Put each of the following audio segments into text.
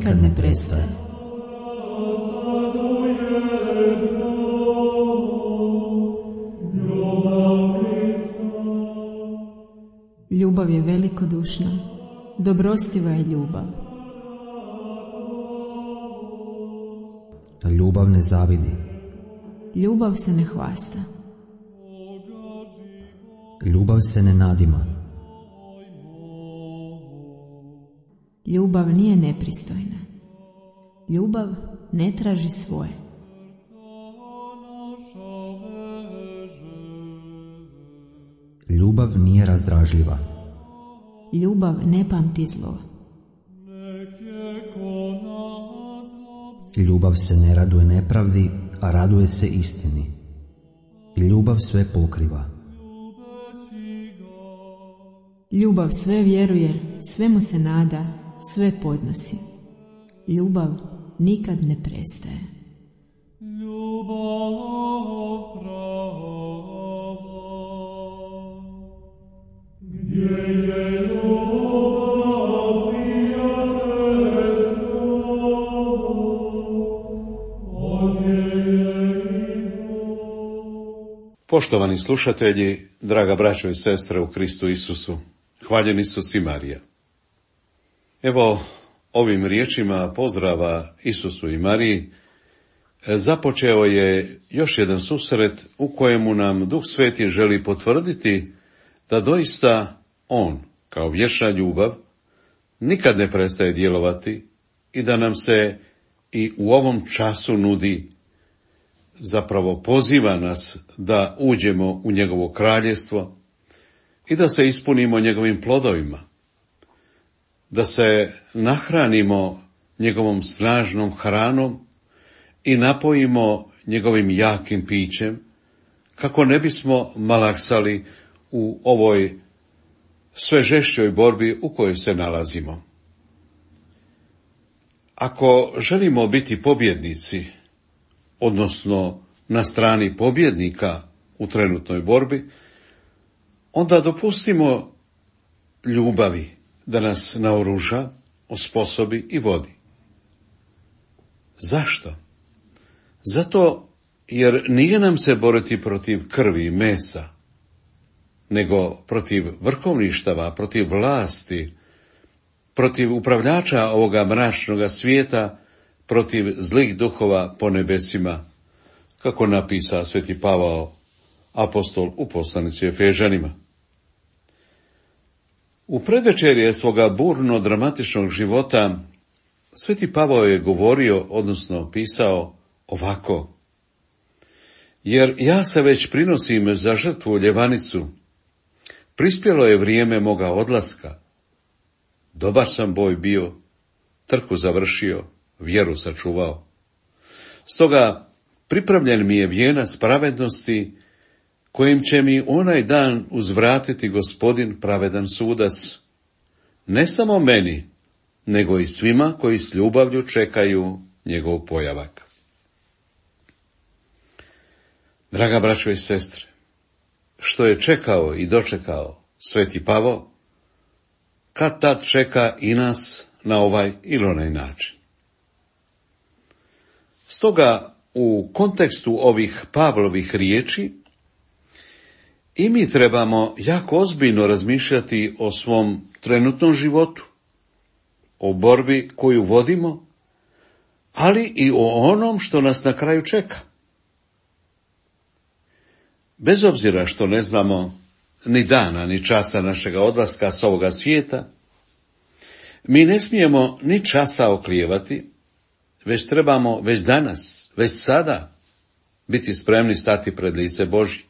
nikad ne prestaje. Ljubav je velikodušna, dobrostiva je ljubav. Ljubav ne zavidi. Ljubav se ne hvasta. Ljubav se ne nadima. Ljubav nije nepristojna. Ljubav ne traži svoje. Ljubav nije razdražljiva. Ljubav ne pamti zlo. Ljubav se ne raduje nepravdi, a raduje se istini. Ljubav sve pokriva. Ljubav sve vjeruje, sve mu se nada, sve podnosi. Ljubav nikad ne prestaje. Poštovani slušatelji, draga braćo i sestre u Kristu Isusu, hvaljen Isus i Marija. Evo, ovim riječima pozdrava Isusu i Mariji započeo je još jedan susret u kojemu nam Duh Sveti želi potvrditi da doista On, kao vječna ljubav, nikad ne prestaje djelovati i da nam se i u ovom času nudi, zapravo poziva nas da uđemo u njegovo kraljevstvo i da se ispunimo njegovim plodovima, da se nahranimo njegovom snažnom hranom i napojimo njegovim jakim pićem, kako ne bismo malaksali u ovoj sve žešćoj borbi u kojoj se nalazimo. Ako želimo biti pobjednici, odnosno na strani pobjednika u trenutnoj borbi, onda dopustimo ljubavi da nas naoruža, osposobi i vodi. Zašto? Zato jer nije nam se boriti protiv krvi i mesa, nego protiv vrhovništava, protiv vlasti, protiv upravljača ovoga mračnoga svijeta, protiv zlih duhova po nebesima, kako napisa sveti Pavao, apostol u poslanici Efežanima. U predvečerje svoga burno dramatičnog života sveti Pavao je govorio, odnosno pisao ovako: jer ja se već prinosim za žrtvu ljevanicu, prispjelo je vrijeme moga odlaska, dobar sam boj bio, trku završio, vjeru sačuvao. Stoga pripravljen mi je vijenac pravednosti, kojim će mi onaj dan uzvratiti Gospodin pravedan sudac, ne samo meni, nego i svima koji s ljubavlju čekaju njegov pojavak. Draga braćo i sestre, što je čekao i dočekao sveti Pavao, kad tad čeka i nas na ovaj ili onaj način. Stoga u kontekstu ovih Pavlovih riječi i mi trebamo jako ozbiljno razmišljati o svom trenutnom životu, o borbi koju vodimo, ali i o onom što nas na kraju čeka. Bez obzira što ne znamo ni dana, ni časa našega odlaska s ovoga svijeta, mi ne smijemo ni časa oklijevati, već trebamo već danas, već sada biti spremni stati pred lice Božje.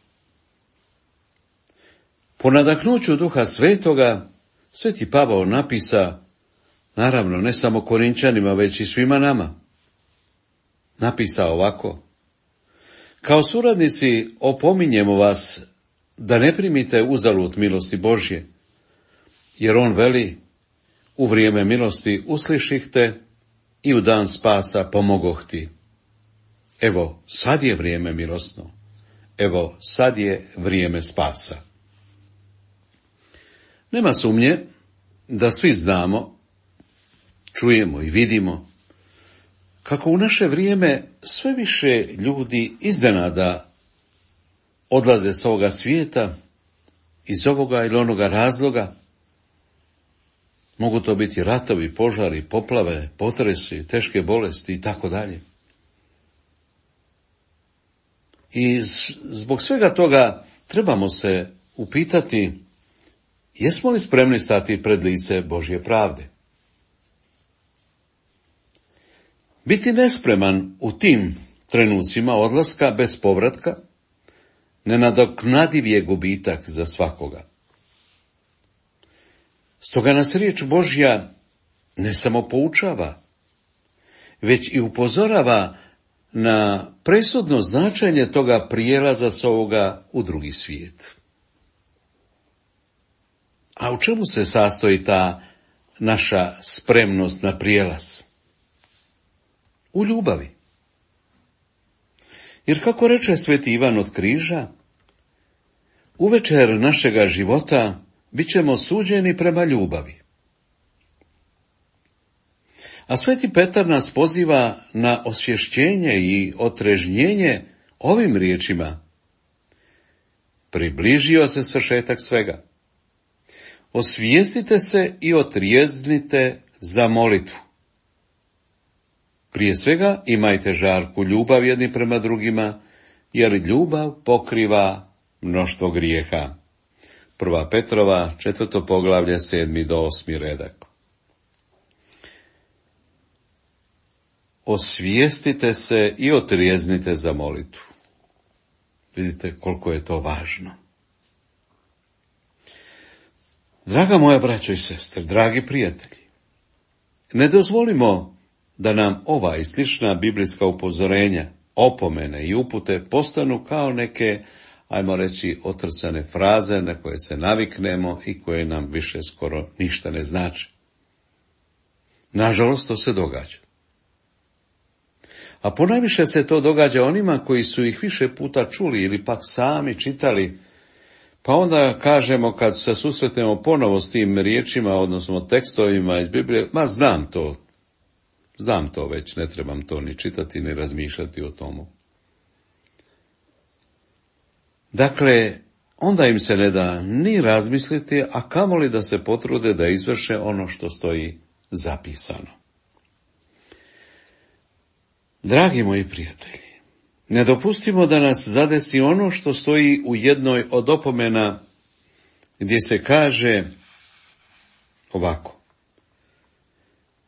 Po nadahnuću Duha Svetoga, sveti Pavao napisa, naravno ne samo Korinčanima, već i svima nama, napisa ovako: kao suradnici opominjemo vas da ne primite uzalud milosti Božje, jer on veli: u vrijeme milosti usliših te i u dan spasa pomogoh ti. Evo, sad je vrijeme milosno. Evo, sad je vrijeme spasa. Nema sumnje da svi znamo čujemo i vidimo kako u naše vrijeme sve više ljudi iznenada odlaze s ovoga svijeta iz ovoga ili onoga razloga. Mogu to biti ratovi, požari, poplave, potresi, teške bolesti i tako dalje. I zbog svega toga trebamo se upitati, jesmo li spremni stati pred lice Božje pravde? Biti nespreman u tim trenucima odlaska bez povratka nenadoknadiv je gubitak za svakoga. Stoga nas riječ Božja ne samo poučava, već i upozorava na presudno značenje toga prijelaza s ovoga u drugi svijet. A u čemu se sastoji ta naša spremnost na prijelaz? U ljubavi. Jer kako reče sveti Ivan od Križa, uvečer našega života bit ćemo suđeni prema ljubavi. A sveti Petar nas poziva na osvješćenje i otrežnjenje ovim riječima. Približio se svršetak svega. Osvijestite se i otrijeznite za molitvu. Prije svega imajte žarku ljubav jedni prema drugima, jer ljubav pokriva mnoštvo grijeha. 1. Petrova, 4. poglavlje, 7. do 8. redak. Osvijestite se i otrijeznite za molitvu. Vidite koliko je to važno. Draga moja braćo i sestre, dragi prijatelji, ne dozvolimo da nam ova i slična biblijska upozorenja, opomene i upute postanu kao neke, ajmo reći, otrcane fraze na koje se naviknemo i koje nam više skoro ništa ne znači. Nažalost, to se događa. A ponajviše se to događa onima koji su ih više puta čuli ili pak sami čitali, pa onda kažemo kad se susretnemo ponovo s tim riječima, odnosno tekstovima iz Biblije, ma znam to već, ne trebam to ni čitati ni razmišljati o tomu. Dakle, onda im se ne da ni razmisliti, a kamoli da se potrude da izvrše ono što stoji zapisano. Dragi moji prijatelji, ne dopustimo da nas zadesi ono što stoji u jednoj od opomena gdje se kaže ovako.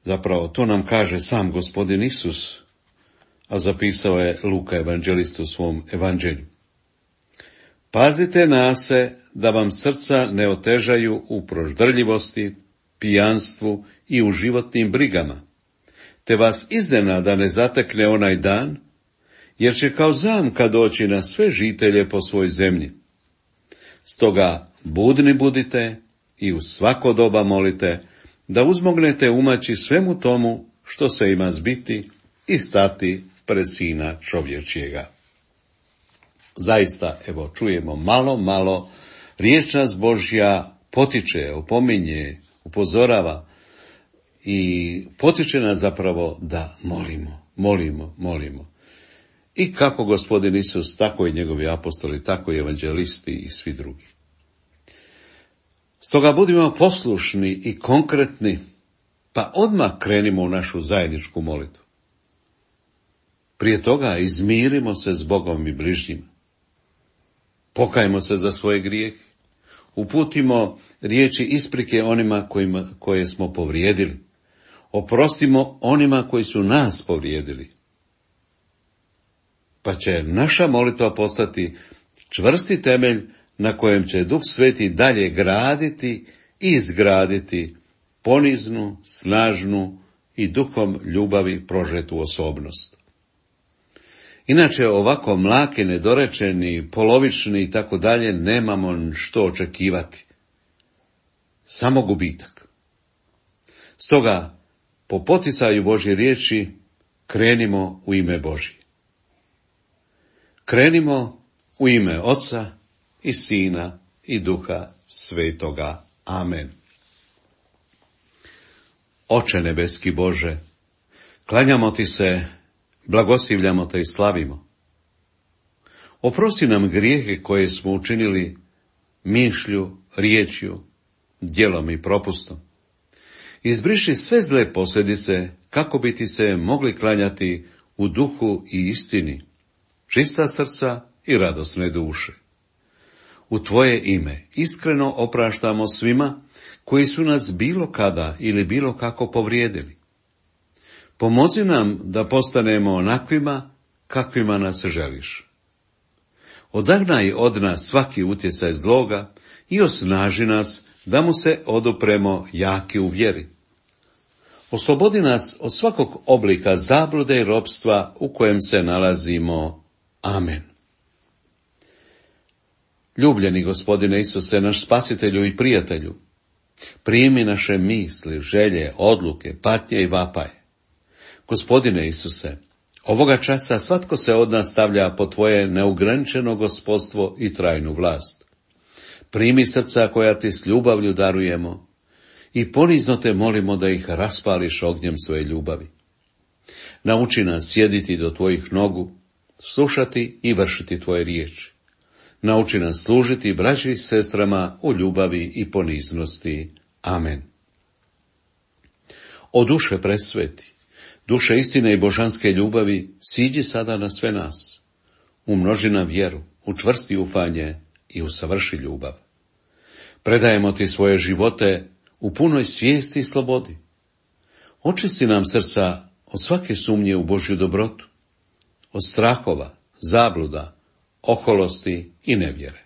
Zapravo, to nam kaže sam Gospodin Isus, a zapisao je Luka evanđelist u svom evanđelju. Pazite na se da vam srca ne otežaju u proždrljivosti, pijanstvu i u životnim brigama, te vas iznenada ne zatekne onaj dan, jer će kao zamka doći na sve žitelje po svoj zemlji. Stoga budni budite i u svako doba molite, da uzmognete umaći svemu tomu što se ima zbiti i stati pred Sina čovječjega. Zaista, evo, čujemo malo, riječ nas Božja potiče, opominje, upozorava i potiče nas zapravo da molimo. I kako Gospodin Isus, tako i njegovi apostoli, tako i evanđelisti i svi drugi. Stoga budimo poslušni i konkretni, pa odmah krenimo u našu zajedničku molitvu. Prije toga izmirimo se s Bogom i bližnjima. Pokajmo se za svoje grijehe. Uputimo riječi isprike onima koje smo povrijedili. Oprostimo onima koji su nas povrijedili. Pa će naša molitva postati čvrsti temelj na kojem će Duh Sveti dalje graditi i izgraditi poniznu, snažnu i duhom ljubavi prožetu osobnost. Inače, ovako mlaki, nedorečeni, polovični i tako dalje, nemamo što očekivati. Samo gubitak. Stoga, po poticaju Božje riječi, krenimo u ime Božje. Krenimo u ime Oca i Sina i Duha Svetoga. Amen. Oče nebeski Bože, klanjamo ti se, blagoslivljamo te i slavimo. Oprosti nam grijehe koje smo učinili mišlju, riječju, djelom i propustom. Izbriši sve zle posljedice kako bi ti se mogli klanjati u duhu i istini, čista srca i radosne duše. U tvoje ime iskreno opraštamo svima koji su nas bilo kada ili bilo kako povrijedili. Pomozi nam da postanemo onakvima kakvima nas želiš. Odagnaj od nas svaki utjecaj zloga i osnaži nas da mu se odupremo jaki u vjeri. Oslobodi nas od svakog oblika zablude i ropstva u kojem se nalazimo. Amen. Ljubljeni Gospodine Isuse, naš spasitelju i prijatelju, primi naše misli, želje, odluke, patnje i vapaje. Gospodine Isuse, ovoga časa svatko se od nas stavlja pod tvoje neograničeno gospodstvo i trajnu vlast. Primi srca koja ti s ljubavlju darujemo i ponizno te molimo da ih raspališ ognjem svoje ljubavi. Nauči nas sjediti do tvojih nogu, slušati i vršiti tvoje riječi. Nauči nas služiti braći i sestrama u ljubavi i poniznosti. Amen. O duše presveti, duše istine i božanske ljubavi, siđi sada na sve nas. Umnoži nam vjeru, učvrsti ufanje i usavrši ljubav. Predajemo ti svoje živote u punoj svijesti i slobodi. Očisti nam srca od svake sumnje u Božju dobrotu, od strahova, zabluda, oholosti i nevjere.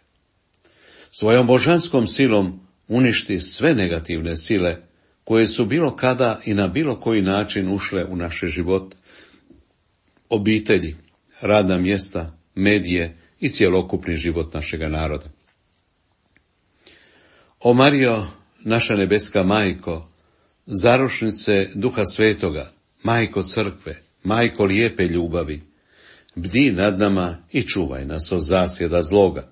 Svojom božanskom silom uništi sve negativne sile koje su bilo kada i na bilo koji način ušle u naše život, obitelji, radna mjesta, medije i cjelokupni život našega naroda. O Marijo, naša nebeska majko, zaručnice Duha Svetoga, majko crkve, majko lijepe ljubavi, bdi nad nama i čuvaj nas od zasjeda zloga.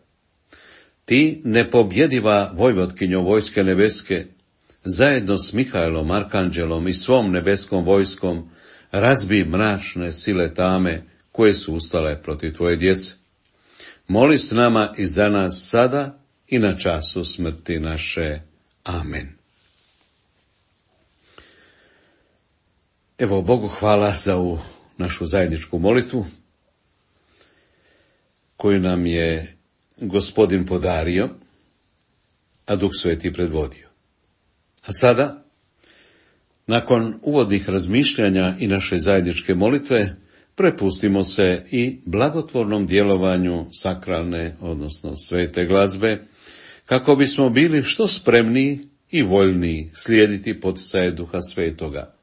Ti, nepobjediva vojvotkinjo vojske nebeske, zajedno s Mihajlom, Arkanđelom i svom nebeskom vojskom, razbi mračne sile tame koje su ustale protiv tvoje djece. Moli s nama i za nas sada i na času smrti naše. Amen. Evo, Bogu hvala za ovu našu zajedničku molitvu, koju nam je Gospodin podario, a Duh Sveti predvodio. A sada, nakon uvodnih razmišljanja i naše zajedničke molitve, prepustimo se i blagotvornom djelovanju sakralne, odnosno svete glazbe, kako bismo bili što spremniji i voljniji slijediti poticaje Duha Svetoga.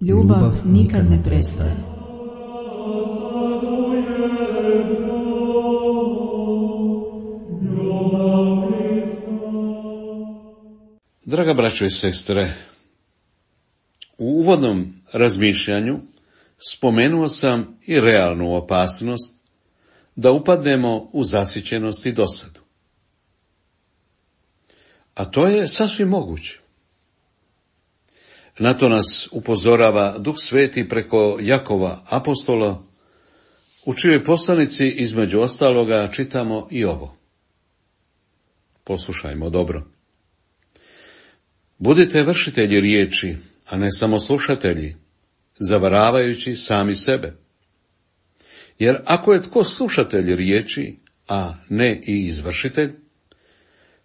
Ljubav nikad ne prestaje. Draga braćo i sestre, u uvodnom razmišljanju spomenuo sam i realnu opasnost da upadnemo u zasićenost i dosadu. A to je sasvim moguće. Na to nas upozorava Duh Sveti preko Jakova apostola, u čijoj poslanici između ostaloga čitamo i ovo. Poslušajmo dobro. Budite vršitelji riječi, a ne samo slušatelji, zavaravajući sami sebe. Jer ako je tko slušatelj riječi, a ne i izvršitelj,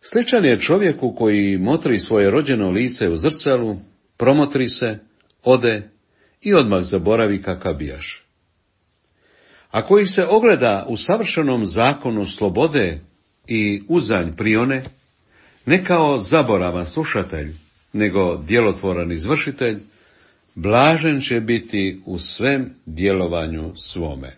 sličan je čovjeku koji motri svoje rođeno lice u zrcalu, promotri se, ode i odmah zaboravi kakav bijaš. A koji se ogleda u savršenom zakonu slobode i uzanj prione, ne kao zaboravan slušatelj, nego djelotvoran izvršitelj, blažen će biti u svem djelovanju svome.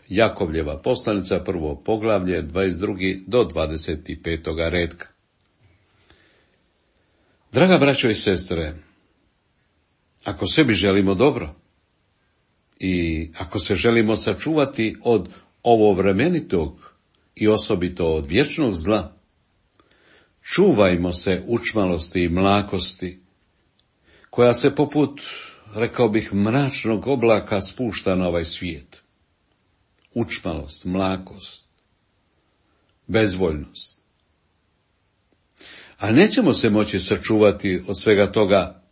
Jakovljeva poslanica, 1. poglavlje, 22. do 25. redka. Draga braćo i sestre, ako sebi želimo dobro i ako se želimo sačuvati od ovovremenitog i osobito od vječnog zla, čuvajmo se učmalosti i mlakosti, koja se poput, rekao bih, mračnog oblaka spušta na ovaj svijet. Učmalost, mlakost, bezvoljnost. A nećemo se moći sačuvati od svega toga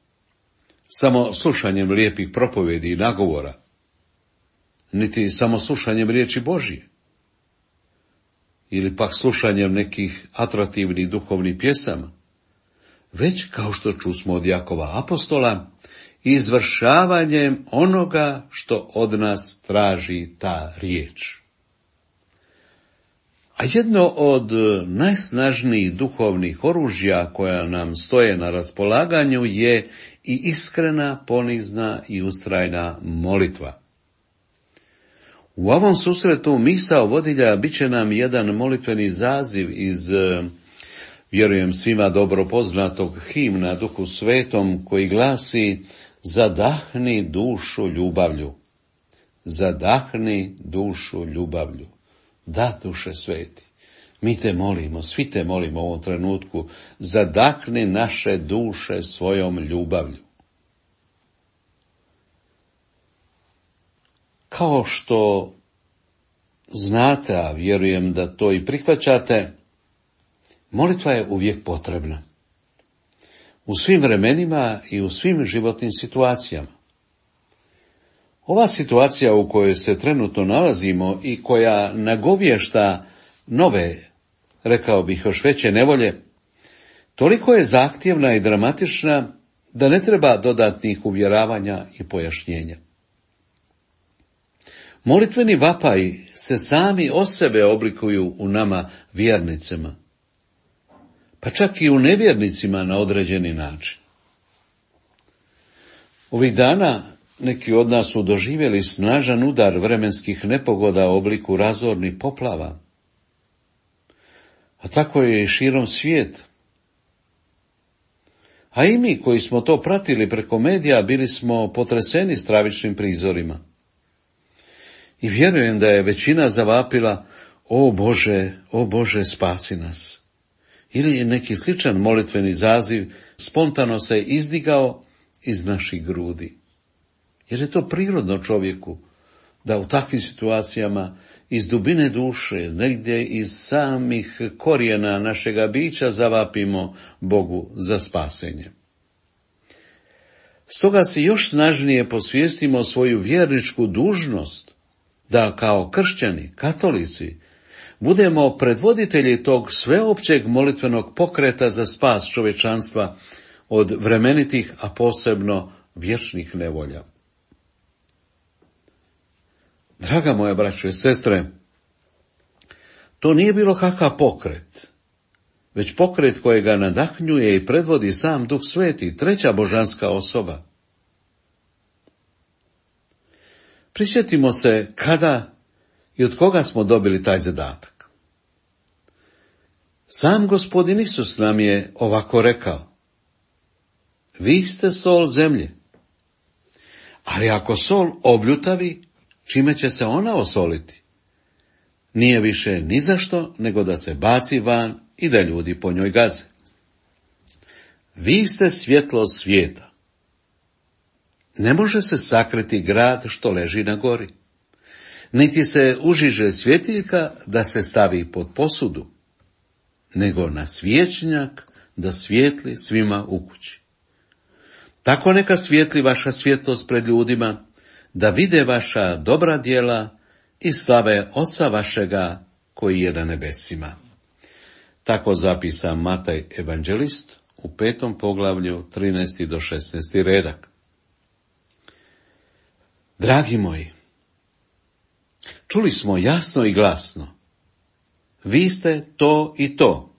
samo slušanjem lijepih propovjedi i nagovora, niti samo slušanjem riječi Božje, ili pak slušanjem nekih atraktivnih duhovnih pjesama, već, kao što čusmo od Jakova apostola, izvršavanjem onoga što od nas traži ta riječ. A jedno od najsnažnijih duhovnih oružja koja nam stoje na raspolaganju je i iskrena, ponizna i ustrajna molitva. U ovom susretu misao vodilja bit će nam jedan molitveni zaziv iz, vjerujem svima dobro poznatog himna Duhu Svetom, koji glasi: zadahni dušu ljubavlju, zadahni dušu ljubavlju. Da, Duše Sveti, mi te molimo, svi te molimo u ovom trenutku, zadahni naše duše svojom ljubavlju. Kao što znate, a vjerujem da to i prihvaćate, molitva je uvijek potrebna. U svim vremenima i u svim životnim situacijama. Ova situacija u kojoj se trenutno nalazimo i koja nagovješta nove, rekao bih još veće nevolje, toliko je zahtjevna i dramatična da ne treba dodatnih uvjeravanja i pojašnjenja. Molitveni vapaji se sami o sebe oblikuju u nama vjernicima, pa čak i u nevjernicima na određeni način. Ovih dana neki od nas su doživjeli snažan udar vremenskih nepogoda u obliku razornih poplava, a tako je i širom svijeta. A i mi koji smo to pratili preko medija bili smo potreseni stravičnim prizorima. I vjerujem da je većina zavapila: o Bože, spasi nas. Ili je neki sličan molitveni zaziv spontano se izdigao iz naših grudi. Jer je to prirodno čovjeku da u takvim situacijama iz dubine duše, negdje iz samih korijena našega bića zavapimo Bogu za spasenje. Stoga si još snažnije posvijestimo svoju vjerničku dužnost da kao kršćani, katolici, budemo predvoditelji tog sveopćeg molitvenog pokreta za spas čovječanstva od vremenitih, a posebno vječnih nevolja. Draga moja braćo i sestre, to nije bilo kakav pokret, već pokret kojega nadahnjuje i predvodi sam Duh Sveti, treća božanska osoba. Prisjetimo se kada i od koga smo dobili taj zadatak. Sam Gospodin Isus nam je ovako rekao: vi ste sol zemlje. Ali ako sol obljutavi, čime će se ona osoliti? Nije više ni zašto, nego da se baci van i da ljudi po njoj gaze. Vi ste svjetlo svijeta. Ne može se sakriti grad što leži na gori, niti se užiže svjetiljka da se stavi pod posudu, nego na svječnjak da svijetli svima u kući. Tako neka svijetli vaša svjetlost pred ljudima, da vide vaša dobra djela i slave Oca vašega koji je na nebesima. Tako zapisa Mataj evanđelist u 5. poglavlju 13. do 16. redak. Dragi moji, čuli smo jasno i glasno: vi ste to i to.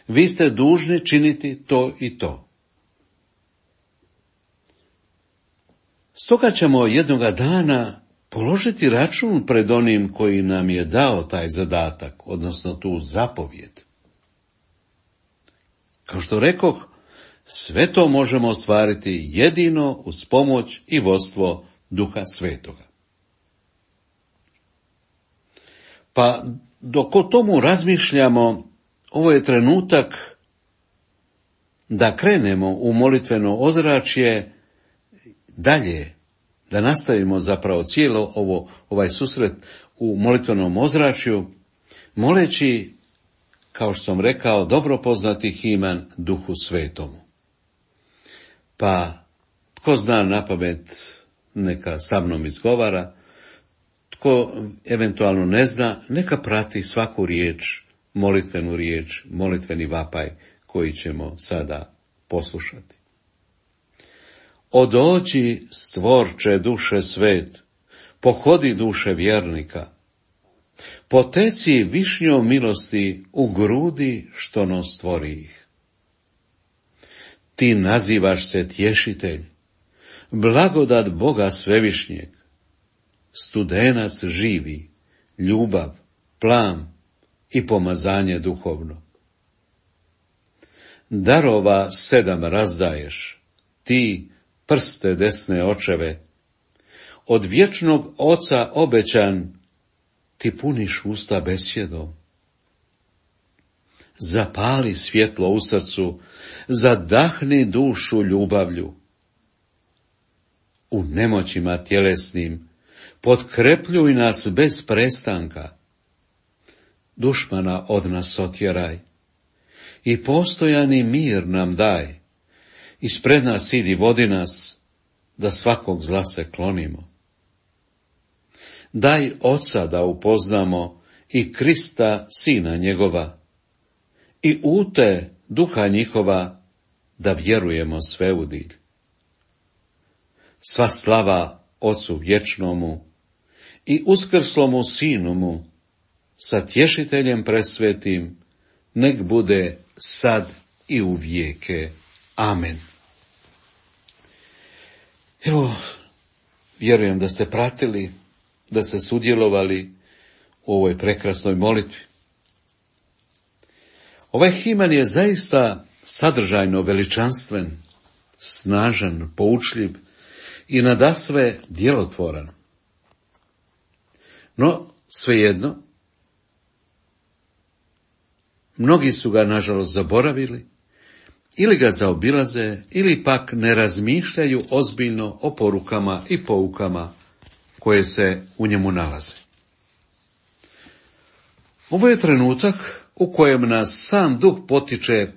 Vi ste dužni činiti to i to. Stoga ćemo jednoga dana položiti račun pred onim koji nam je dao taj zadatak, odnosno tu zapovjed. Kao što rekoh, sve to možemo ostvariti jedino uz pomoć i vodstvo Duha Svetoga. Pa dok o tomu razmišljamo, ovo je trenutak da krenemo u molitveno ozračje dalje, da nastavimo zapravo cijelo ovaj susret u molitvenom ozračju, moleći, kao što sam rekao, dobro poznati himan Duhu Svetomu. Pa, tko zna napamet, neka sa mnom izgovara, tko eventualno ne zna, neka prati svaku riječ, molitveni vapaj koji ćemo sada poslušati. Odođi, stvorče duše svet, pohodi duše vjernika, poteci višnjom milosti u grudi što nos stvori ih. Ti nazivaš se tješitelj, blagodat Boga svevišnjeg, studenac živi, ljubav, plam i pomazanje duhovno. Darova 7 razdaješ, ti prste desne očeve, od vječnog Oca obećan, ti puniš usta besjedom. Zapali svjetlo u srcu, zadahni dušu ljubavlju. U nemoćima tjelesnim potkrepljuj nas bez prestanka. Dušmana od nas otjeraj i postojani mir nam daj. Ispred nas idi, vodi nas, da svakog zla se klonimo. Daj Oca da upoznamo i Krista, Sina njegova, i ute Duha njihova, da vjerujemo sve u dilj. Sva slava Ocu vječnomu i uskrslomu Sinomu, sa tješiteljem presvetim, nek bude sad i u vijeke. Amen. Evo, vjerujem da ste pratili, da ste sudjelovali u ovoj prekrasnoj molitvi. Ovaj himan je zaista sadržajno veličanstven, snažan, poučljiv i nadasve djelotvoran. No, svejedno, mnogi su ga nažalost zaboravili, ili ga zaobilaze, ili pak ne razmišljaju ozbiljno o porukama i poukama koje se u njemu nalaze. Ovo je trenutak u kojem nas sam Duh potiče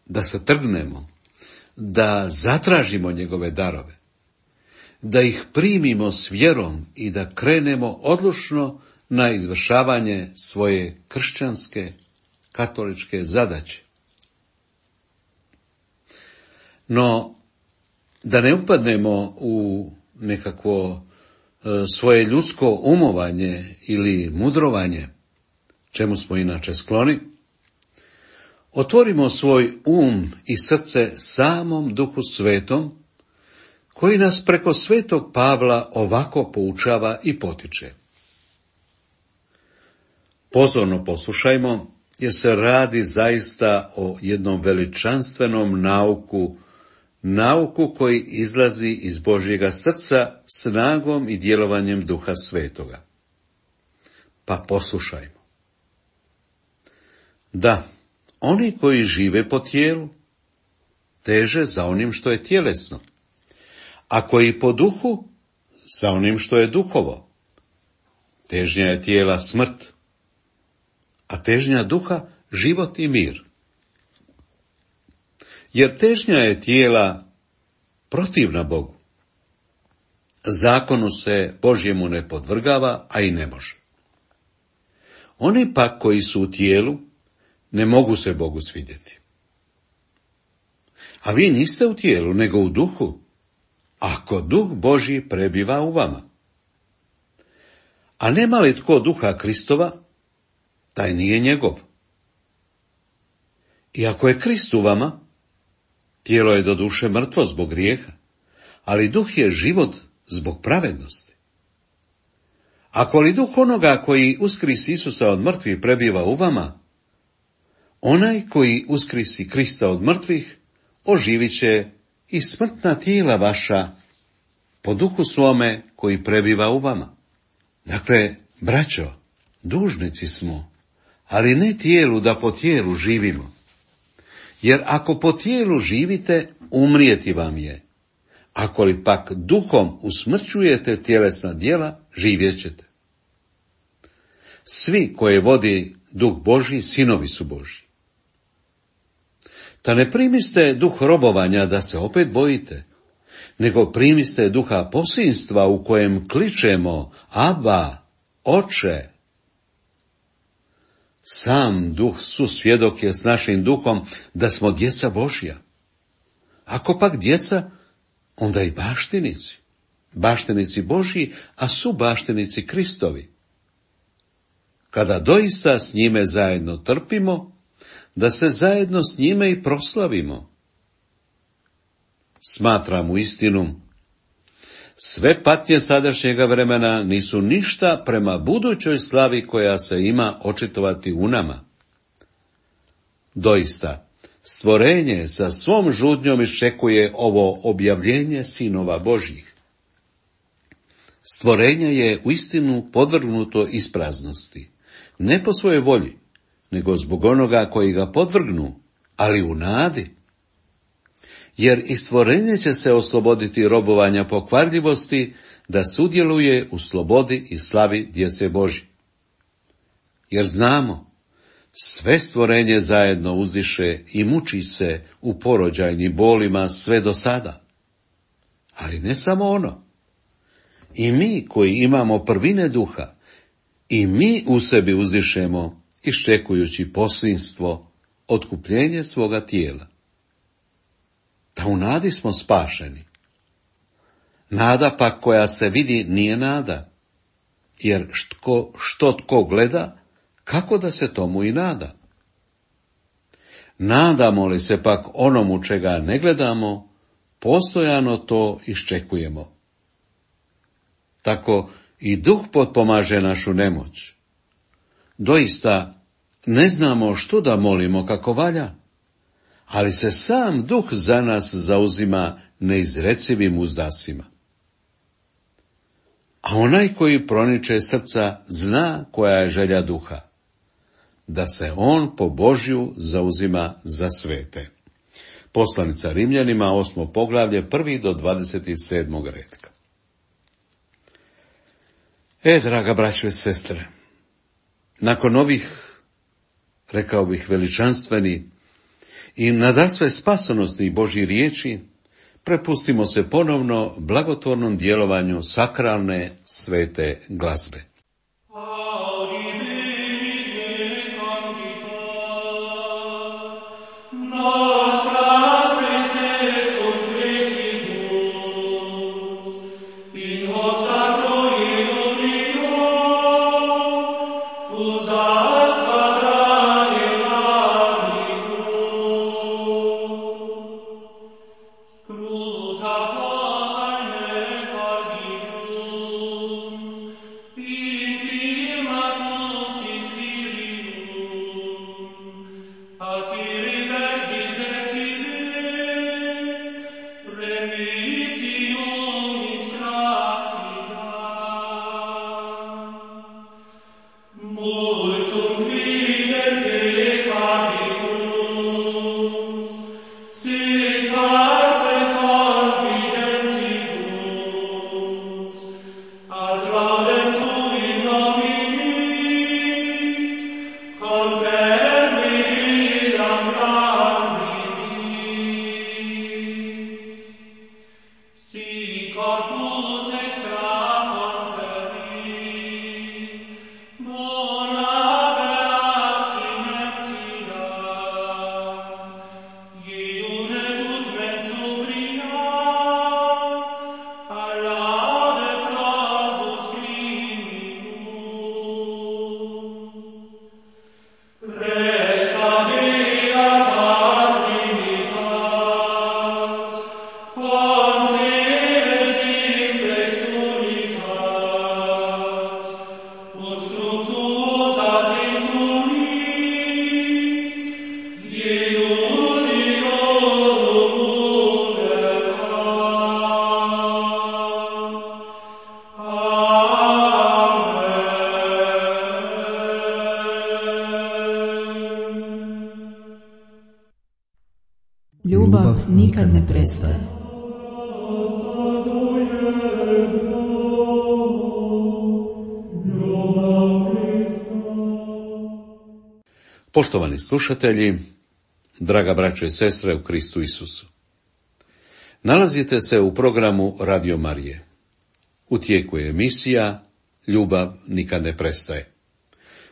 da se trgnemo, da zatražimo njegove darove, da ih primimo s vjerom i da krenemo odlučno na izvršavanje svoje kršćanske, katoličke zadaće. No, da ne upadnemo u nekakvo svoje ljudsko umovanje ili mudrovanje, čemu smo inače skloni, otvorimo svoj i srce samom Duhu Svetom, koji nas preko Svetog Pavla ovako poučava i potiče. Pozorno poslušajmo jer se radi zaista o jednom veličanstvenom nauku koji izlazi iz Božjega srca snagom i djelovanjem Duha Svetoga. Pa poslušajmo. Da, oni koji žive po tijelu, teže za onim što je tjelesno, a koji po duhu, za onim što je duhovo. Težnja je tijela smrt, a težnja duha život i mir. Jer težnja je tijela protivna Bogu. Zakonu se Božjemu ne podvrgava, a i ne može. Oni pak koji su u tijelu, ne mogu se Bogu svidjeti. A vi niste u tijelu, nego u duhu, ako Duh Božji prebiva u vama. A nema li tko Duha Kristova, taj nije njegov. I ako je Krist u vama, tijelo je doduše mrtvo zbog grijeha, ali duh je život zbog pravednosti. Ako li duh onoga koji uskrisi Isusa od mrtvih prebiva u vama, onaj koji uskrisi Krista od mrtvih, oživit će i smrtna tijela vaša po duhu svome koji prebiva u vama. Dakle, braćo, dužnici smo, ali ne tijelu da po tijelu živimo. Jer ako po tijelu živite, umrijeti vam je. Ako li pak duhom usmrćujete tjelesna djela, živjet ćete. Svi koje vodi Duh Božji, sinovi su Božji. Ta ne primiste duh robovanja da se opet bojite, nego primiste duha posinstva u kojem kličemo Aba, Oče. Sam Duh susvjedok je s našim duhom da smo djeca Božja. Ako pak djeca, onda i baštinici. Baštinici Božji, a su baštinici Kristovi. Kada doista s njime zajedno trpimo, da se zajedno s njime i proslavimo. Smatram u istinu, sve patnje sadašnjega vremena nisu ništa prema budućoj slavi koja se ima očitovati u nama. Doista, stvorenje sa svom žudnjom iščekuje ovo objavljenje sinova Božjih. Stvorenje je uistinu podvrgnuto ispraznosti, ne po svojoj volji, nego zbog onoga koji ga podvrgnu, ali u nadi. Jer i stvorenje će se osloboditi robovanja pokvarljivosti, da sudjeluje u slobodi i slavi djece Božje. Jer znamo, sve stvorenje zajedno uzdiše i muči se u porođajnim bolima sve do sada. Ali ne samo ono. I mi koji imamo prvine duha, i mi u sebi uzdišemo, iščekujući posinstvo, otkupljenje svoga tijela. Da u nadi smo spašeni. Nada pak koja se vidi nije nada, jer što tko gleda, kako da se tomu i nada. Nadamo li se pak onomu čega ne gledamo, postojano to iščekujemo. Tako i Duh potpomaže našu nemoć. Doista, ne znamo što da molimo kako valja, ali se sam Duh za nas zauzima neizrecivim uzdasima. A onaj koji proniče srca zna koja je želja Duha, da se on po Božju zauzima za svete. Poslanica Rimljanima, 8. poglavlje, 1. do 27. retka. Draga braćo i sestre, nakon ovih, rekao bih, veličanstveni i nadasve spasonosnih Božjih riječi, prepustimo se ponovno blagotvornom djelovanju sakralne svete glazbe. Be Ljubav nikad ne prestaje. Poštovani slušatelji, draga braćo i sestre u Kristu Isusu. Nalazite se u programu Radio Marije. U tijeku je emisija Ljubav nikad ne prestaje,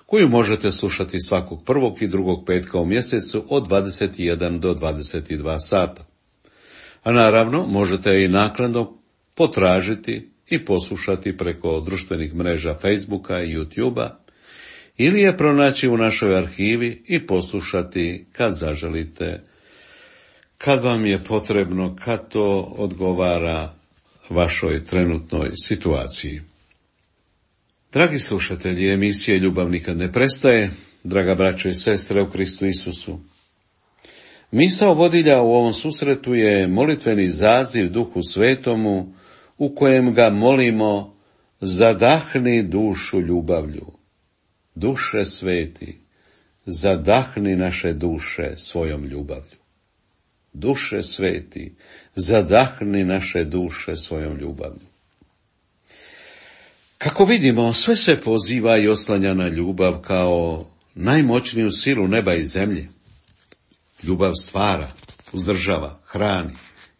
koju možete slušati svakog prvog i drugog petka u mjesecu od 21 do 22 sata. A naravno možete i naknadno potražiti i poslušati preko društvenih mreža Facebooka i YouTubea, ili je pronaći u našoj arhivi i poslušati kad zaželite, kad vam je potrebno, kad to odgovara vašoj trenutnoj situaciji. Dragi slušatelji emisije Ljubav nikad ne prestaje, draga braćo i sestre u Kristu Isusu. Misao vodilja u ovom susretu je molitveni zaziv Duhu Svetomu u kojem ga molimo: zadahni dušu ljubavlju. Duše sveti, zadahni naše duše svojom ljubavlju. Duše sveti, zadahni naše duše svojom ljubavlju. Kako vidimo, sve se poziva i oslanja na ljubav kao najmoćniju silu neba i zemlje. Ljubav stvara, uzdržava, hrani,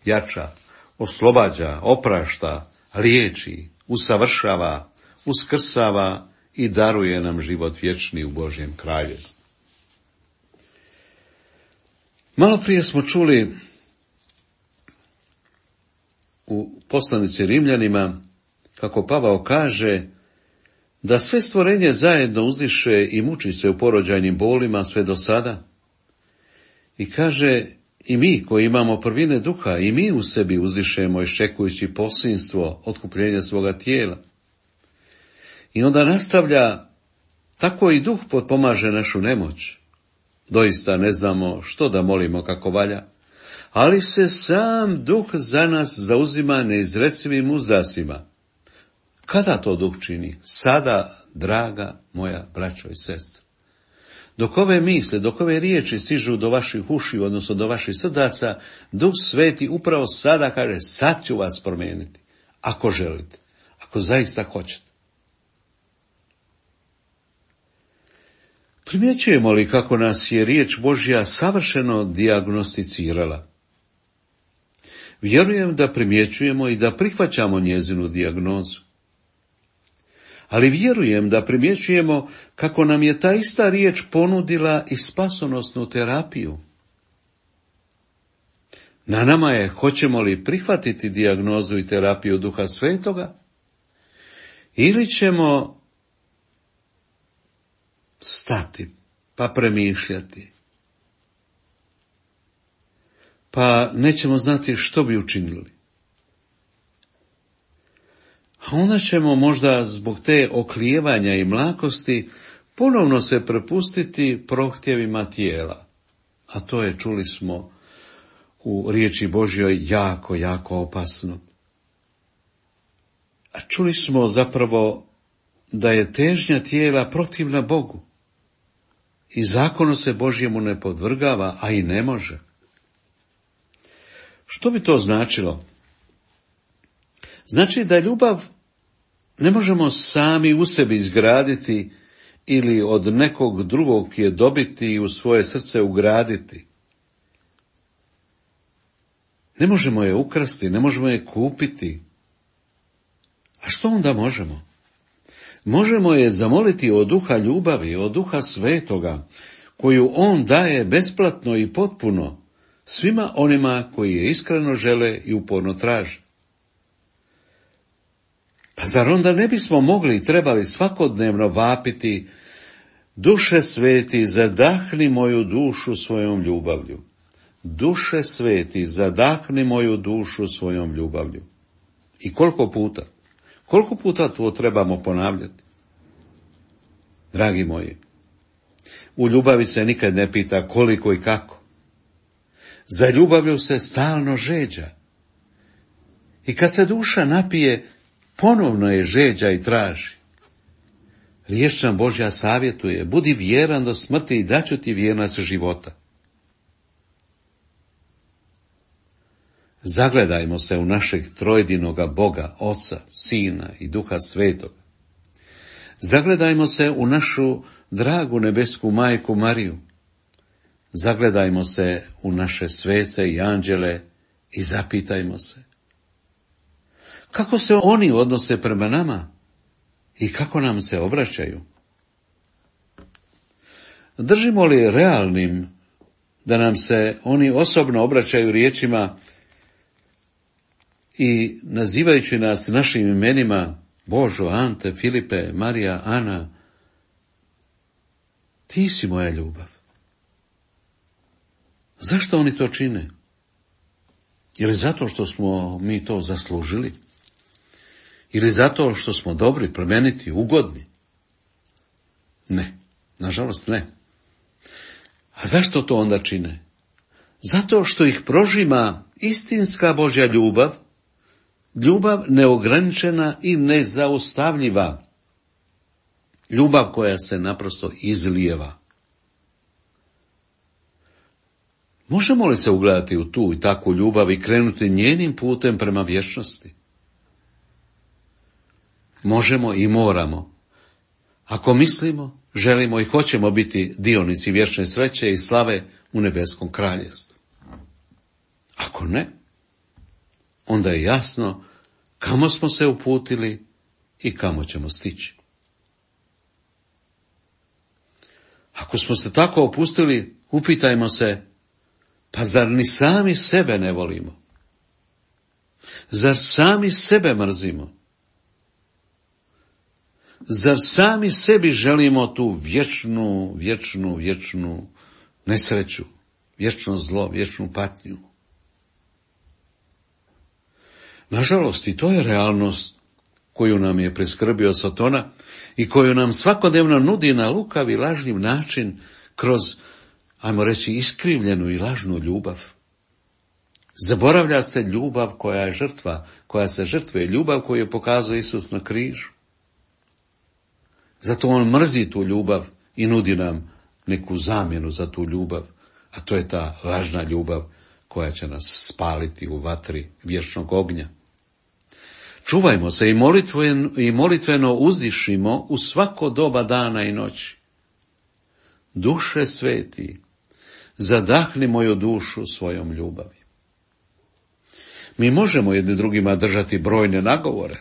jača, oslobađa, oprašta, liječi, usavršava, uskrsava i daruje nam život vječni u Božjem kraljevstvu. Malo prije smo čuli u poslanici Rimljanima kako Pavao kaže da sve stvorenje zajedno uzdiše i muči se u porođajnim bolima sve do sada. I kaže, i mi koji imamo prvine duha, i mi u sebi uzdišemo iščekujući posinstvo otkupljenja svoga tijela. I onda nastavlja, tako i duh potpomaže našu nemoć. Doista ne znamo što da molimo kako valja, ali se sam duh za nas zauzima neizrecivim uzdasima. Kada to duh čini? Sada, draga moja braćo i sestre. Dok ove misle, dok ove riječi stižu do vaših ušiju, odnosno do vaših srdaca, Duh Sveti upravo sada kaže, sad ću vas promijeniti, ako želite, ako zaista hoćete. Primjećujemo li kako nas je riječ Božja savršeno dijagnosticirala? Vjerujem da primjećujemo i da prihvaćamo njezinu dijagnozu. Ali vjerujem da primjećujemo kako nam je ta ista riječ ponudila i spasonosnu terapiju. Na nama je, hoćemo li prihvatiti dijagnozu i terapiju Duha Svetoga, ili ćemo stati, pa premišljati, pa nećemo znati što bi učinili. A onda ćemo možda zbog te oklijevanja i mlakosti ponovno se prepustiti prohtjevima tijela. A to je, čuli smo u riječi Božjoj, jako, jako opasno. A čuli smo zapravo da je težnja tijela protivna Bogu. I zakonu se Božjemu ne podvrgava, a i ne može. Što bi to značilo? Znači da ljubav ne možemo sami u sebi izgraditi ili od nekog drugog je dobiti i u svoje srce ugraditi. Ne možemo je ukrasti, ne možemo je kupiti. A što onda možemo? Možemo je zamoliti od duha ljubavi, od duha svetoga, koju on daje besplatno i potpuno svima onima koji je iskreno žele i uporno traže. Pa zar onda ne bismo mogli i trebali svakodnevno vapiti: Duše sveti, zadahni moju dušu svojom ljubavlju. Duše sveti, zadahni moju dušu svojom ljubavlju. I koliko puta? Koliko puta to trebamo ponavljati? Dragi moji, u ljubavi se nikad ne pita koliko i kako. Za ljubavlju se stalno žeđa. I kad se duša napije, ponovno je žeđa i traži. Riječ nam Božja savjetuje: budi vjeran do smrti i daću ti vjernost života. Zagledajmo se u našeg trojedinoga Boga, Oca, Sina i Duha Svetoga. Zagledajmo se u našu dragu nebesku majku Mariju. Zagledajmo se u naše svece i anđele i zapitajmo se: kako se oni odnose prema nama i kako nam se obraćaju? Držimo li realnim da nam se oni osobno obraćaju riječima i nazivajući nas našim imenima: Božo, Ante, Filipe, Marija, Ana, ti si moja ljubav? Zašto oni to čine? Je li zato što smo mi to zaslužili? Ili zato što smo dobri, plemeniti, ugodni? Ne, nažalost ne. A zašto to onda čine? Zato što ih prožima istinska Božja ljubav, ljubav neograničena i nezaustavljiva, ljubav koja se naprosto izlijeva. Možemo li se ugledati u tu i takvu ljubav i krenuti njenim putem prema vječnosti? Možemo i moramo, ako mislimo, želimo i hoćemo biti dionici vječne sreće i slave u nebeskom kraljevstvu. Ako ne, onda je jasno kamo smo se uputili i kamo ćemo stići. Ako smo se tako opustili, upitajmo se: pa zar ni sami sebe ne volimo? Zar sami sebe mrzimo? Zar sami sebi želimo tu vječnu nesreću, vječno zlo, vječnu patnju? Nažalost, i to je realnost koju nam je priskrbio Satona i koju nam svakodnevno nudi na lukav i lažniv način kroz, ajmo reći, iskrivljenu i lažnu ljubav. Zaboravlja se ljubav koja je žrtva, koja se žrtvuje, ljubav koju je pokazao Isus na križu. Zato on mrzi tu ljubav i nudi nam neku zamjenu za tu ljubav, a to je ta lažna ljubav koja će nas spaliti u vatri vječnog ognja. Čuvajmo se i molitveno uzdišimo u svako doba dana i noći. Duše sveti, zadahni moju dušu svojom ljubavi. Mi možemo jedni drugima držati brojne nagovore,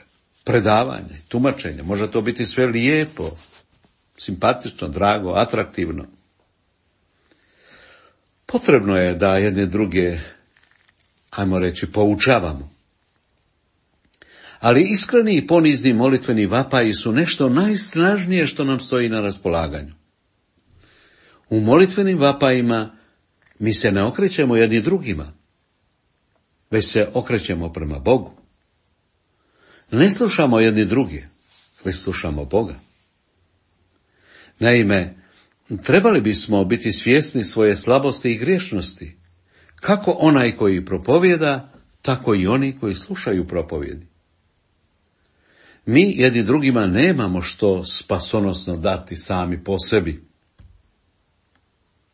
predavanja, tumačenja. Može to biti sve lijepo, simpatično, drago, atraktivno. Potrebno je da jedne druge, ajmo reći, poučavamo. Ali iskreni i ponizni molitveni vapaji su nešto najsnažnije što nam stoji na raspolaganju. U molitvenim vapajima mi se ne okrećemo jedni drugima, već se okrećemo prema Bogu. Ne slušamo jedni druge, već slušamo Boga. Naime, trebali bismo biti svjesni svoje slabosti i griješnosti, kako onaj koji propovijeda, tako i oni koji slušaju propovjedi. Mi jedni drugima nemamo što spasonosno dati sami po sebi.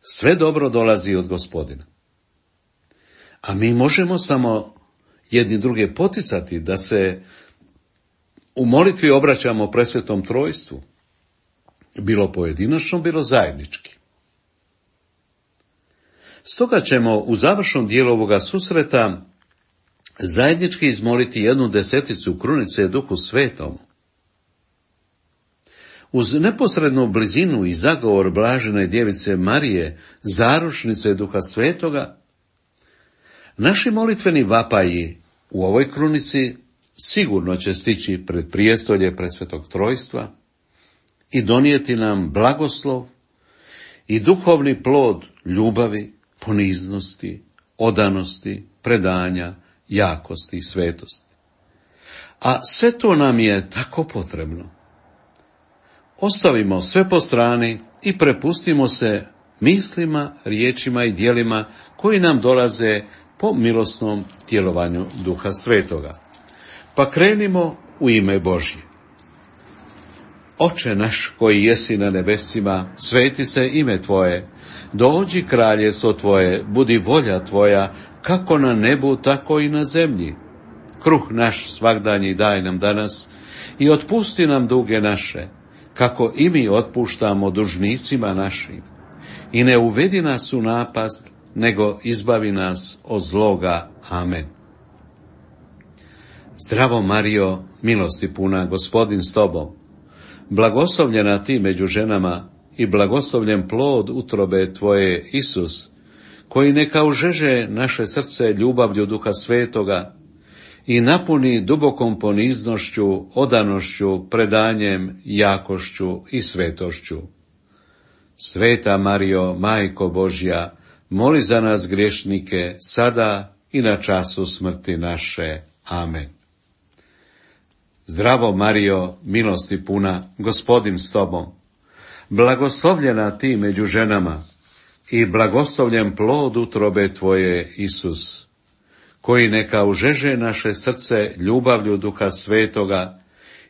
Sve dobro dolazi od Gospodina. A mi možemo samo jedni druge poticati da se u molitvi obraćamo presvetom trojstvu, bilo pojedinačno, bilo zajednički. Stoga ćemo u završnom dijelu ovoga susreta zajednički izmoliti 1/10 krunice Duhu Svetom. Uz neposrednu blizinu i zagovor blažene djevice Marije, zaručnice Duha Svetoga, naši molitveni vapaji u ovoj krunici sigurno će stići pred prijestolje Presvetog Trojstva i donijeti nam blagoslov i duhovni plod ljubavi, poniznosti, odanosti, predanja, jakosti i svetosti. A sve to nam je tako potrebno. Ostavimo sve po strani i prepustimo se mislima, riječima i djelima koji nam dolaze po milosnom djelovanju Duha Svetoga. Pa krenimo u ime Božje. Oče naš koji jesi na nebesima, sveti se ime Tvoje, dođi kraljestvo Tvoje, budi volja Tvoja, kako na nebu, tako i na zemlji. Kruh naš svagdanji daj nam danas i otpusti nam duge naše, kako i mi otpuštamo dužnicima našim. I ne uvedi nas u napast, nego izbavi nas od zloga. Amen. Zdravo Marijo, milosti puna, Gospodin s tobom. Blagoslovljena ti među ženama i blagoslovljen plod utrobe tvoje, Isus, koji neka užeže naše srce ljubavlju Duha Svetoga i napuni dubokom poniznošću, odanošću, predanjem, jakošću i svetošću. Sveta Marijo, Majko Božja, moli za nas griješnike, sada i na času smrti naše. Amen. Zdravo Marijo, milosti puna, Gospodin s tobom. Blagoslovljena ti među ženama i blagoslovljen plod utrobe tvoje, Isus, koji neka užeže naše srce ljubavlju Duha Svetoga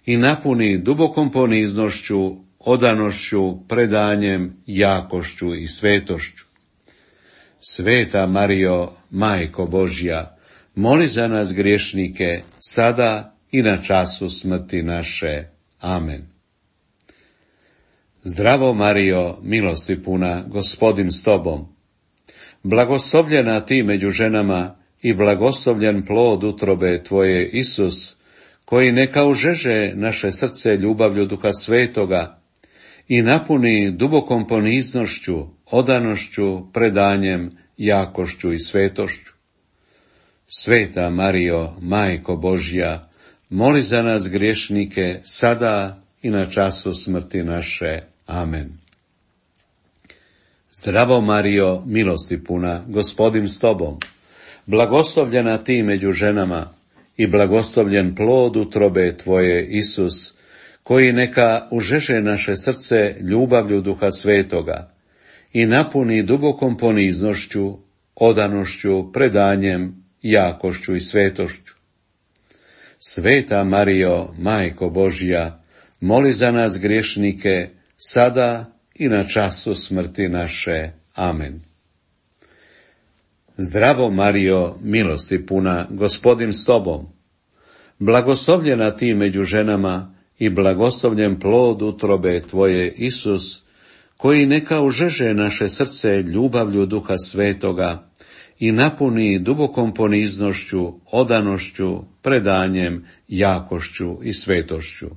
i napuni dubokom poniznošću, odanošću, predanjem, jakošću i svetošću. Sveta Marijo, Majko Božja, moli za nas griješnike, sada i na času smrti naše. Amen. Zdravo Marijo, milosti puna, Gospodin s tobom. Blagoslovljena ti među ženama i blagoslovljen plod utrobe tvoje, Isus, koji neka užeže naše srce ljubavlju Duha Svetoga i napuni dubokom poniznošću, odanošću, predanjem, jakošću i svetošću. Sveta Marijo, Majko Božja, moli za nas griješnike, sada i na času smrti naše. Amen. Zdravo Marijo, milosti puna, Gospodin s tobom. Blagoslovljena ti među ženama i blagoslovljen plod utrobe tvoje, Isus, koji neka užeže naše srce ljubavlju Duha Svetoga i napuni dubokom poniznošću, odanošću, predanjem, jakošću i svetošću. Sveta Marijo, Majko Božja, moli za nas griješnike, sada i na času smrti naše. Amen. Zdravo Marijo, milosti puna, Gospodin s tobom. Blagoslovljena ti među ženama i blagoslovljen plod utrobe tvoje, Isus, koji neka užeže naše srce ljubavlju Duha Svetoga i napuni dubokom poniznošću, odanošću, predanjem, jakošću i svetošću.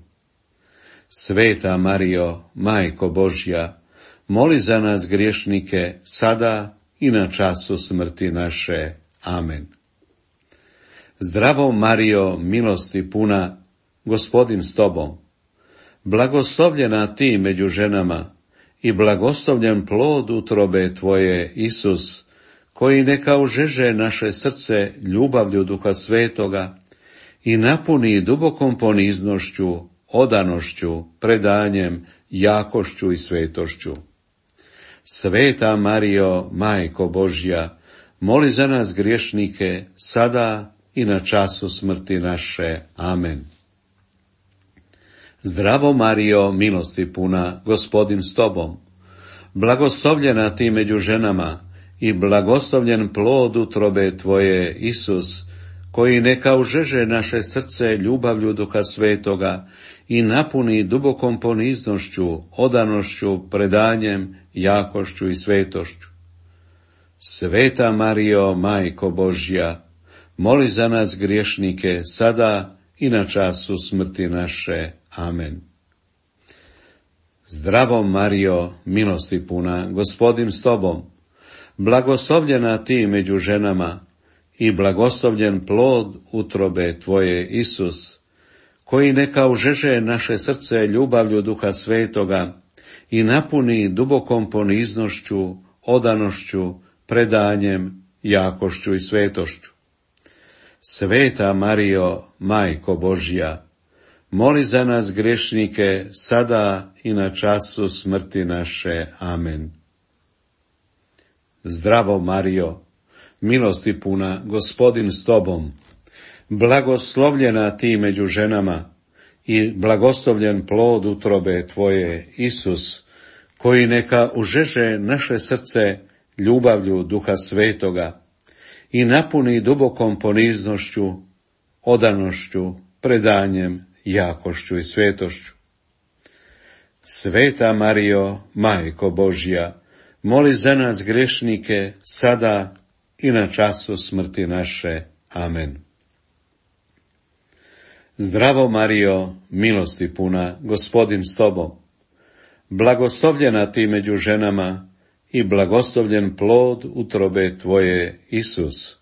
Sveta Marijo, Majko Božja, moli za nas griješnike, sada i na času smrti naše. Amen. Zdravo Marijo, milosti puna, Gospodin s tobom. Blagoslovljena ti među ženama i blagoslovljen plod utrobe tvoje, Isus, koji neka užeže naše srce ljubavlju Duha Svetoga i napuni dubokom poniznošću, odanošću, predanjem, jakošću i svetošću. Sveta Marijo, Majko Božja, moli za nas griješnike, sada i na času smrti naše. Amen. Zdravo Marijo, milosti puna, Gospodin s tobom. Blagoslovljena ti među ženama i blagoslovljen plod utrobe tvoje, Isus, koji neka užeže naše srce ljubavlju Duha Svetoga i napuni dubokom poniznošću, odanošću, predanjem, jakošću i svetošću. Sveta Marijo, Majko Božja, moli za nas griješnike, sada i na času smrti naše. Amen. Zdravo Marijo, milosti puna, Gospodin s tobom, blagoslovljena ti među ženama i blagoslovljen plod utrobe tvoje, Isus, koji neka užeže naše srce ljubavlju Duha Svetoga i napuni dubokom poniznošću, odanošću, predanjem, jakošću i svetošću. Sveta Marijo, Majko Božja, moli za nas grešnike, sada i na času smrti naše. Amen. Zdravo Marijo, milosti puna, Gospodin s tobom, blagoslovljena ti među ženama i blagoslovljen plod utrobe tvoje, Isus, koji neka užeže naše srce ljubavlju Duha Svetoga i napuni dubokom poniznošću, odanošću, predanjem, jakošću i svetošću. Sveta Marijo, Majko Božja, moli za nas grešnike, sada i na času smrti naše. Amen. Zdravo Marijo, milosti puna, Gospodin s tobom, blagoslovljena ti među ženama i blagoslovljen plod utrobe tvoje, Isus,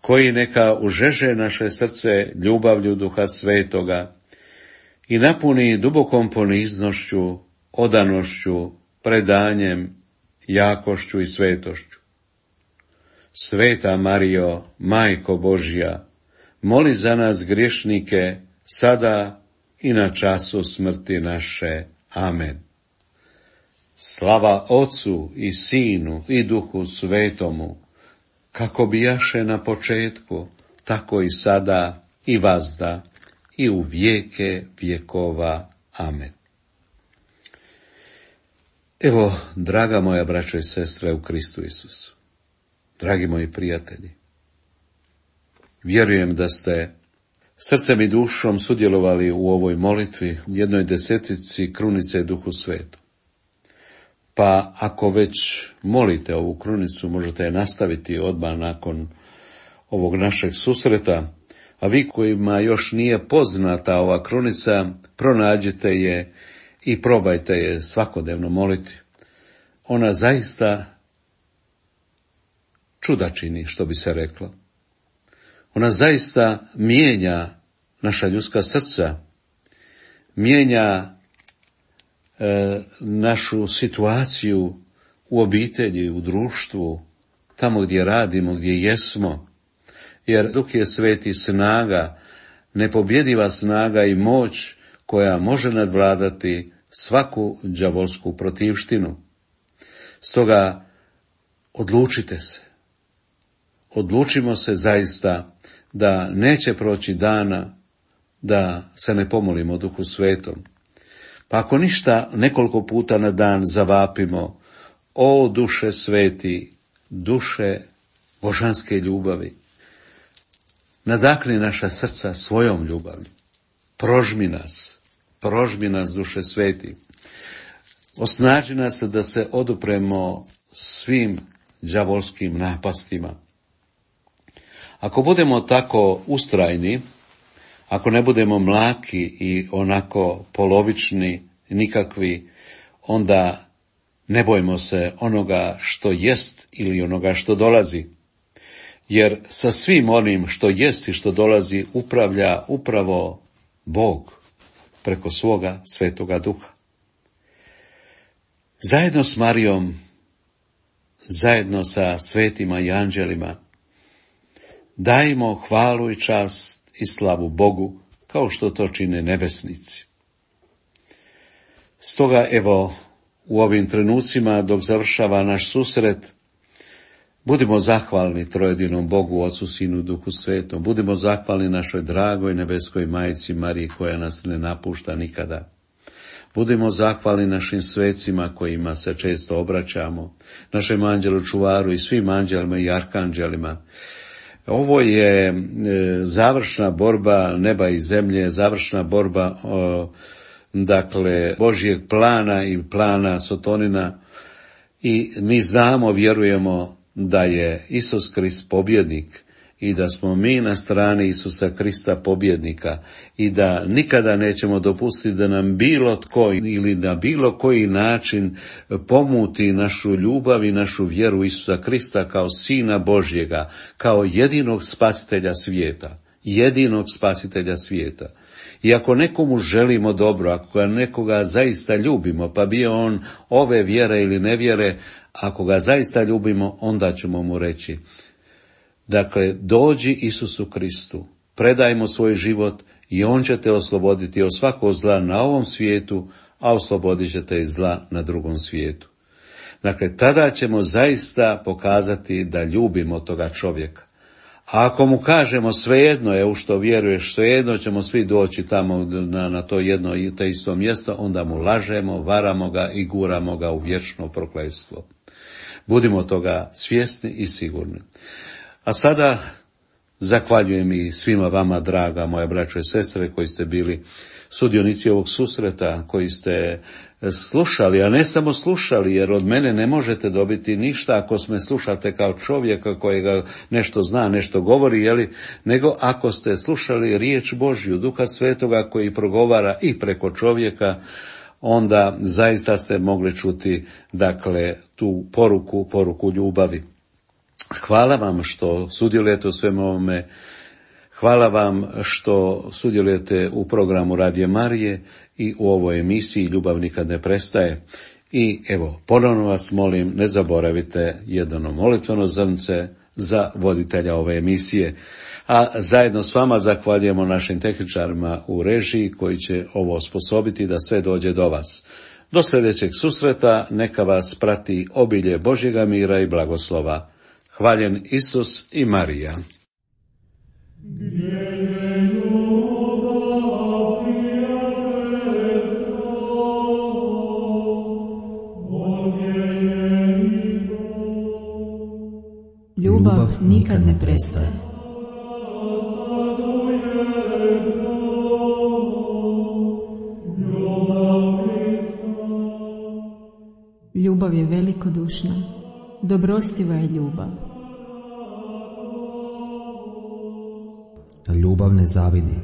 koji neka užeže naše srce ljubavlju Duha Svetoga i napuni dubokom poniznošću, odanošću, predanjem, jakošću i svetošću. Sveta Marijo, Majko Božja, moli za nas griješnike, sada i na času smrti naše. Amen. Slava Otcu i Sinu i Duhu Svetomu, kako bijaše na početku, tako i sada i vazda i u vijeke vjekova. Amen. Evo, draga moja braćo i sestre u Kristu Isusu, dragi moji prijatelji, vjerujem da ste srcem i dušom sudjelovali u ovoj molitvi, jednoj desetici krunice Duhu Svetom. Pa ako već molite ovu krunicu, možete je nastaviti odmah nakon ovog našeg susreta, a vi kojima još nije poznata ova krunica, pronađite je i probajte je svakodnevno moliti. Ona zaista čuda čini, što bi se reklo. Ona zaista mijenja naša ljudska srca, mijenja našu situaciju u obitelji, u društvu, tamo gdje radimo, gdje jesmo, jer Duh je Sveti snaga, nepobjediva snaga i moć koja može nadvladati svaku đavolsku protivštinu. Stoga odlučite se, odlučimo se zaista da neće proći dana da se ne pomolimo Duhu Svetom. Pa ako ništa, nekoliko puta na dan zavapimo: o duše sveti, duše božanske ljubavi, nadahni naša srca svojom ljubavlju, prožmi nas duše sveti, osnaži nas da se odupremo svim đavolskim napastima. Ako budemo tako ustrajni, ako ne budemo mlaki i onako polovični, nikakvi, onda ne bojmo se onoga što jest ili onoga što dolazi. Jer sa svim onim što jest i što dolazi upravlja upravo Bog preko svoga Svetoga Duha. Zajedno s Marijom, zajedno sa svetima i anđelima, dajmo hvalu i čast i slavu Bogu, kao što to čine nebesnici. Stoga, evo, u ovim trenucima, dok završava naš susret, budimo zahvalni trojedinom Bogu, Ocu, Sinu, Duhu Svetom. Budimo zahvalni našoj dragoj nebeskoj Majci Mariji, koja nas ne napušta nikada. Budimo zahvalni našim svecima kojima se često obraćamo, našem anđelu čuvaru i svim anđelima i arkanđelima. Ovo je završna borba neba i zemlje, završna borba Božjeg plana i plana Sotonina, i mi znamo, vjerujemo da je Isus Krist pobjednik i da smo mi na strani Isusa Krista pobjednika i da nikada nećemo dopustiti da nam bilo tko ili na bilo koji način pomuti našu ljubav i našu vjeru Isusa Krista kao Sina Božjega, kao jedinog spasitelja svijeta. Jedinog spasitelja svijeta. I ako nekomu želimo dobro, ako nekoga zaista ljubimo, pa bio on ove vjere ili nevjere, ako ga zaista ljubimo, onda ćemo mu reći, dakle, dođi Isusu Kristu, predajmo svoj život i on će te osloboditi od svakog zla na ovom svijetu, a oslobodit će te iz zla na drugom svijetu. Dakle, tada ćemo zaista pokazati da ljubimo toga čovjeka. A ako mu kažemo svejedno je u što vjeruješ, svejedno ćemo svi doći tamo na to jedno i to isto mjesto, onda mu lažemo, varamo ga i guramo ga u vječno prokletstvo. Budimo toga svjesni i sigurni. A sada zahvaljujem i svima vama, draga moja braćo i sestre, koji ste bili sudionici ovog susreta, koji ste slušali, a ne samo slušali, jer od mene ne možete dobiti ništa ako me slušate kao čovjeka kojega nešto zna, nešto govori, nego ako ste slušali riječ Božju, Duha Svetoga koji progovara i preko čovjeka, onda zaista ste mogli čuti, dakle, tu poruku ljubavi. Hvala vam što sudjelujete u svemu ovome. Hvala vam što sudjelujete u programu Radija Marije i u ovoj emisiji Ljubav nikad ne prestaje. I evo, ponovno vas molim, ne zaboravite jedno molitveno zrnce za voditelja ove emisije. A zajedno s vama zahvaljujemo našim tehničarima u režiji koji će ovo osposobiti da sve dođe do vas. Do sljedećeg susreta neka vas prati obilje Božjega mira i blagoslova. Hvaljen Isus i Marija. Ljubav nikad ne prestaje. Ljubav je velikodušna, dobrostiva je ljubav. Ljubav ne zavidi.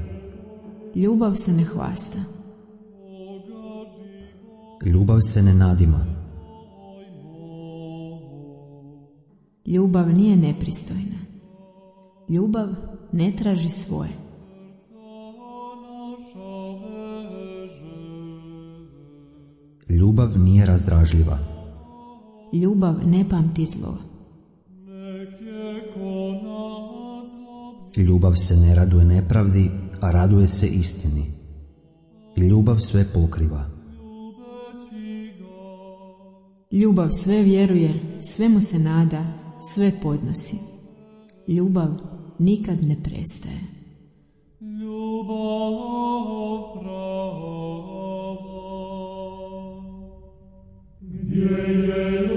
Ljubav se ne hvasta. Ljubav se ne nadima. Ljubav nije nepristojna. Ljubav ne traži svoje. Ljubav nije razdražljiva. Ljubav ne pamti zlo. Ljubav se ne raduje nepravdi, a raduje se istini. Ljubav sve pokriva. Ljubav sve vjeruje, svemu se nada, sve podnosi. Ljubav nikad ne prestaje. Ljubav prava, gdje je